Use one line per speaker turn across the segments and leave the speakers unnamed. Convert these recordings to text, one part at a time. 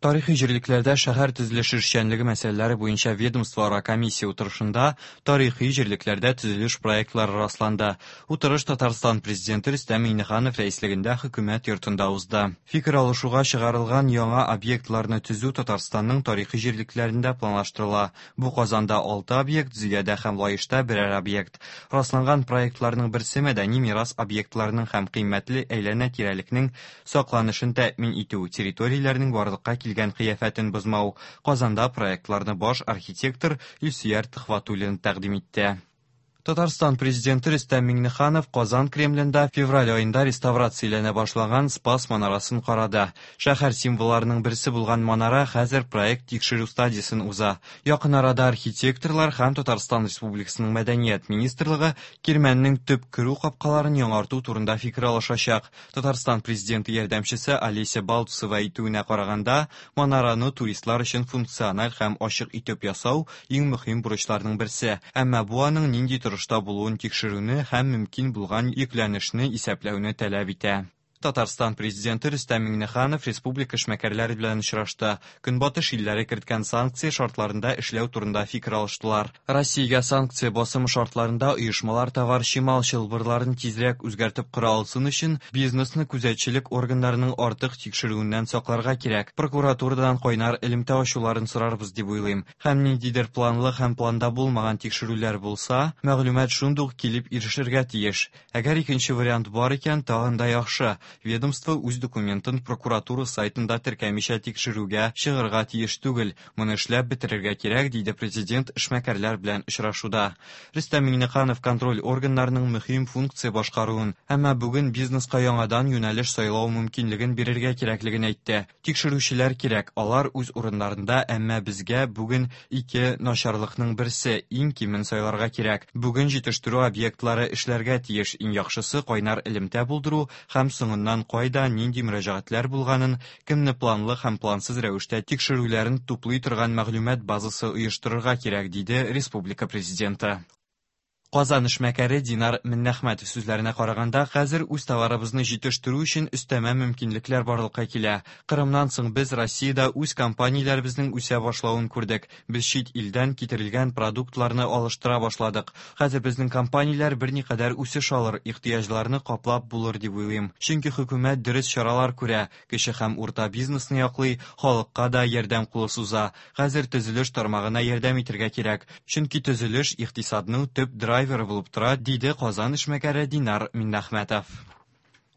Тарихи җирлекләрдә шәһәр төзелеше эшчәнлеге мәсьәләләре буенча ведомствоара комиссия утырышында тарихи җирлекләрдә төзелеш проектлары расланды. Утырыш Татарстан Президенты Рөстәм Миңнеханов рәислегендә Хөкүмәт йортында узды. Фикер алышуга чыгарылган яңа объектларны төзү Татарстанның тарихи җирлекләрендә планлаштырыла. Бу Казанда 6 объект, Зөядә һәм Лаешта берәр объект. Расланган проектларның берсе мәдәни мирас объектларының һәм кыйммәтле әйләнә-тирәлекнең сакланышын тәэмин итү, территорияләрнең барлыкка килгән кыяфәтен бозмау. Казанда проектларны баш архитектор Илсөяр Төхвәтуллин тәкъдим итте. Татарстан Президенты Рөстәм Миңнеханов Казан Кремлендә февраль аенда реставрацияләнә башлаган Спас манарасын карады. Шәһәр символларының берсе булган манара хәзер проект тикшерү стадиясен уза. Якын арада архитекторлар һәм Татарстан Республикасының Мәдәният министрлыгы Кирмәннең төп керү капкаларын яңарту турында фикер алышачак. Татарстан Президенты ярдәмчесе Олеся Балтусова әйтүенә караганда, манараны туристлар өчен функциональ һәм ачык итеп ясау иң мөһим бурычларның берсе. Әмма бу аның нинди торышта булуын тикшерүне һәм мөмкин булган йөкләнешне исәпләүне таләп итә. Татарстан Президенты Рөстәм Миңнеханов республика эшмәкәрләре белән очрашты. Көнбатыш илләре керткән санкция шартларында эшләү турында фикер алыштылар. Россиягә санкция басымы шартларында оешмалар товар-чимал чылбырларын тизрәк үзгәртеп кора алсын өчен бизнесны күзәтчелек органнарының артык тикшерүеннән сакларга кирәк. Прокуратурадан кайнар элемтә ачуларын сорарбыз дип уйлыйм. Һәм ниндидер планлы һәм планда булмаган тикшерүләр булса, мәгълүмат шундук килеп ирешергә тиеш. Әгәр икенче вариант бар икән, тагын да яхшы. Ведомство үз документын прокуратура сайтында теркәмичә тикшерүгә чыгарга тиеш түгел. Моны эшләп бетерергә кирәк, диде президент эшмәкәрләр белән очрашуда. Рөстәм Миңнеханов контроль органнарының мөһим функция башкаруын, әмма бүген бизнеска яңадан юнәлеш сайлау мөмкинлеген бирергә кирәклеген әйтте. Тикшерүчеләр кирәк, алар үз урыннарында, әмма безгә бүген ике начарлыкның берсе, иң кимен сайларга кирәк. Бүген җитештерү объектлары эшләргә тиеш, иң яхшысы кайнар элемтә булдыру һәм соңыннан кайда нинди мөрәҗәгатьләр булганын, кемне планлы һәм плансыз рәвештә тикшерүләрен туплый торган мәгълүмат базасы оештырырга кирәк, диде республика Президенты. Казан эшмәкәре Динар Миннәхмәтов сүзләренә караганда, хәзер үз товарыбызны җитештерү өчен өстәмә мөмкинлекләр барлыкка килә. Кырымнан соң без Россиядә үз компанияләребезнең үсә башлавын күрдек. Без чит илдән китерелгән продуктларны алыштыра башладык. Хәзер безнең компанияләр берникадәр үсеш алыр, ихтыяҗларны каплап булыр дип уйлыйм. Чөнки хөкүмәт дөрес чаралар күрә, кече һәм урта бизнесны яклый, халыкка да ярдәм кулы суза. Хәзер төзелеш тармагына ярдәм итәргә кирәк, чөнки төзелеш икътисадның төп драйверы булып тора, диде Казан эшмәкәре Динар Миннәхмәтов.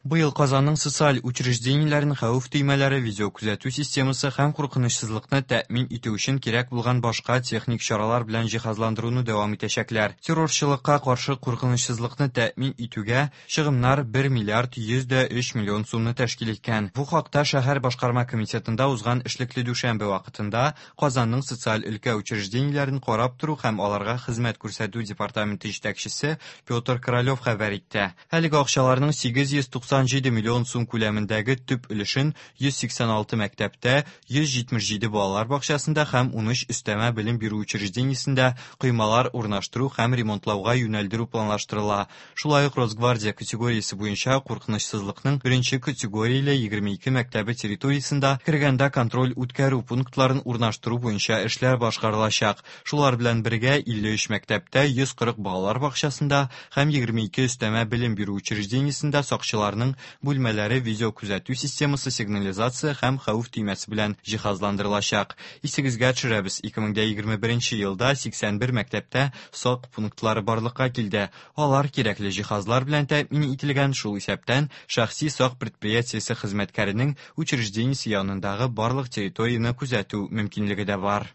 Быел Казанның социаль учреждениеләрен хәвеф төймәләре, видеокүзәтү системасы һәм куркынычсызлыкны тәэмин итү өчен кирәк булган башка техник чаралар белән җиһазландыруны дәвам итәчәкләр. Террорчылыкка каршы куркынычсызлыкны тәэмин итүгә чыгымнар 1 миллиард 103 миллион сумны тәшкил иткән. Бу хакта шәһәр башкарма комитетында узган эшлекле дүшәмбе вакытында Казанның социаль өлкә учреждениеләрен карап тору һәм аларга хезмәт күрсәтү департаменты җитәкчесе Петр Королев хәбәр итте. Әлеге акчаларның 897 миллион сум күләмендәге төп өлешен 186 мәктәптә, 177 балалар бакчасында һәм 13 өстәмә белем бирү учреждениесендә коймалар урнаштыру һәм ремонтлауга юнәлдерү планлаштырыла. Шулай ук Росгвардия категориясе буенча куркынычсызлыкның беренче категорияле 22 мәктәбе территориясендә кергәндә контроль үткәрү пунктларын урнаштыру буенча эшләр башкарылачак. Шулар белән бергә 53 мәктәптә, 140 балалар бакчасында һәм 22 өстәмә белем бирү учреждениесендә сакчыларның бүлмәләре видеокүзәтү системасы, сигнализация һәм хәвеф төймәсе белән җиһазландырылачак. Исегезгә төшерәбез, 2021 елда 81 мәктәптә сак пунктлары барлыкка килде. Алар кирәкле җиһазлар белән тәэмин ителгән, шул исәптән шәхси сак предприятиесе хезмәткәренең учреждениесе янындагы барлык территорияне күзәтү мөмкинлеге дә бар.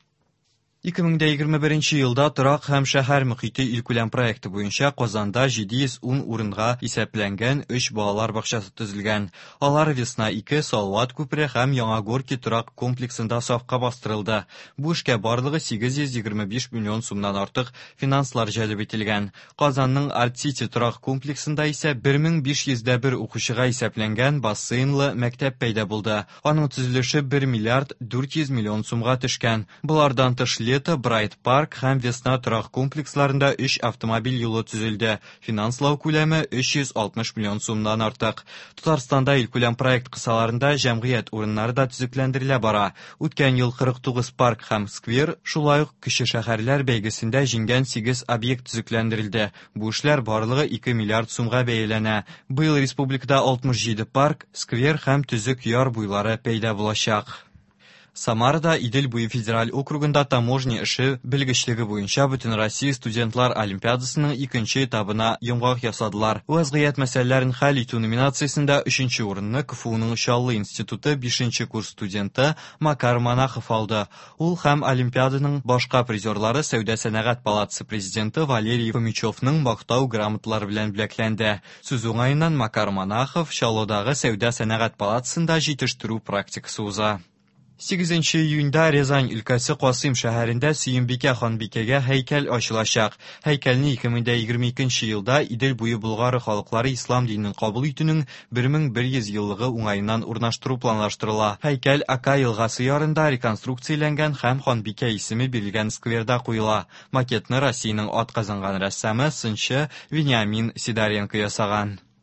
2021 елда торак һәм шәһәр мөхите илкүләм проекты буенча Казанда 710 урынга исәпләнгән 3 балалар бакчасы төзелгән. Алар Весна 2, Салават күпере һәм Яңа Горки торак комплексында сафка бастырылды. Бу эшкә барлыгы 825 миллион сумнан артык финанслар җәлеп ителгән. Казанның Арт-Сити торак комплексында исә 1501 укучыга исәпләнгән бассейнлы мәктәп пәйда булды. Аның төзелеше 1 миллиард 400 миллион сумга төшкән. Болардан тыш Лето, Брайт Парк һәм Весна торак комплексларында өч автомобиль юлы төзелде. Финанслау күләме 360 миллион сумнан артык. Татарстанда илкүләм проект кысаларында җәмгыять урыннары да төзекләндерелә бара. Үткән ел 49 парк һәм сквер, шулай ук кече шәһәрләр бәйгесендә җиңгән 8 объект төзекләндерелде. Бу эшләр барлыгы 2 миллиард сумга бәяләнә. Быел республикада 67 парк, сквер һәм төзек яр буйлары пәйда булачак. Самарада Идел буе федераль округында таможня эше белгечлеге буенча Бөтенроссия студентлар олимпиадасының икенче этабына йомгак ясадылар. Вазгыять мәсьәләләрен хәл итү номинациясендә өченче урынны КФУның Чаллы институты 5 курс студенты Макар Монахов алды. Ул һәм олимпиаданың башка призерлары Сәүдә-сәнәгать палатасы президенты Валерий Фомичевның мактау грамоталары белән бүләкләнде. Сүз уңаеннан Макар Монахов Чаллыдагы Сәүдә-сәнәгать палатасында җитештерү практикасы уза. 8 июньдә Рязань өлкәсе Касыйм шәһәрендә Сөембикә ханбикәгә һәйкәл ачылачак. Һәйкәлне 2022 елда Идел буе Болгары халыклары ислам динен кабул итүнең 1100 еллыгы уңаеннан урнаштыру планлаштырыла. Һәйкәл Ака елгасы ярында реконструкцияләнгән һәм ханбикә исеме бирелгән скверда куела. Макетны Россиянең атказанган рәссамы, сынчы Вениамин Сидоренко ясаган.